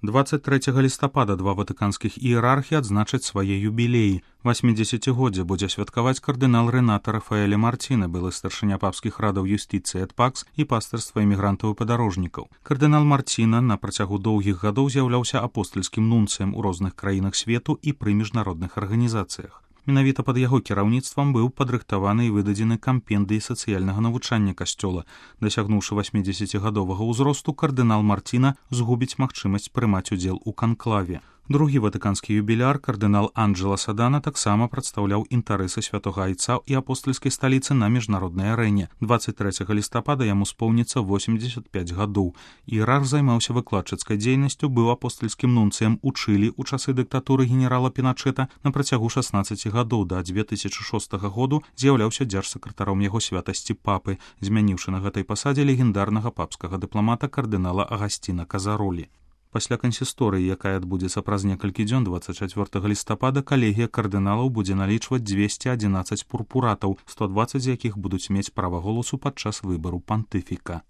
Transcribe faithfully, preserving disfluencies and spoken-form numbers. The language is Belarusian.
двадцать трэцяга лістапада два ватыканскіх іерархі адзначаць свае юбілеі. восьмідзесяцігоддзе будзе святкаваць кардынал Ренато Рафаэле Мартина, былы старшыня папскіх радаў юстыцыі эт пакс і пастырства эмігрантаў і падарожнікаў. Кардынал Мартина на працягу доўгіх гадоў з'яўляўся апостальскім нунцыем у розных краінах свету і пры міжнародных арганізацыях. Менавіта пад яго кіраўніцтвам быў падрыхтаваны і выдадзены кампендый сацыяльнага навучання касцёла. Дасягнуўшы васьмідзесяцігадовага ўзросту, кардынал Мартина згубіць магчымасць прымаць удзел у канклаве. Другі ватыканскі юбіляр, кардынал Анджела Садана, таксама прадстаўляў інтарэсы святога айца і апостальскай сталіцы на міжнароднай арэне. двадцать трэцяга лістапада яму споўніцца восемьдзесят пять гадоў. Іерарх займаўся выкладчыцкай дзейнасцю, быў апостальскім нунцыем у Чылі ў часы дыктатуры генерала Піначэта. На працягу шаснаццаці гадоў да дзве тысячы шостага году з'яўляўся дзяржсакратаром яго святасці папы, змяніўшы на гэтай пасадзе легендарнага папскага дыпламата кардынала Агасціна Казаролі. Пасля кансісторыі, якая адбудзецца праз некалькі дзён двадцать чацвёртага лістапада, калегія кардыналаў будзе налічваць дзвесце адзінаццаць пурпуратаў, сто дваццаць з якіх будуць мець права голасу падчас выбару пантыфіка.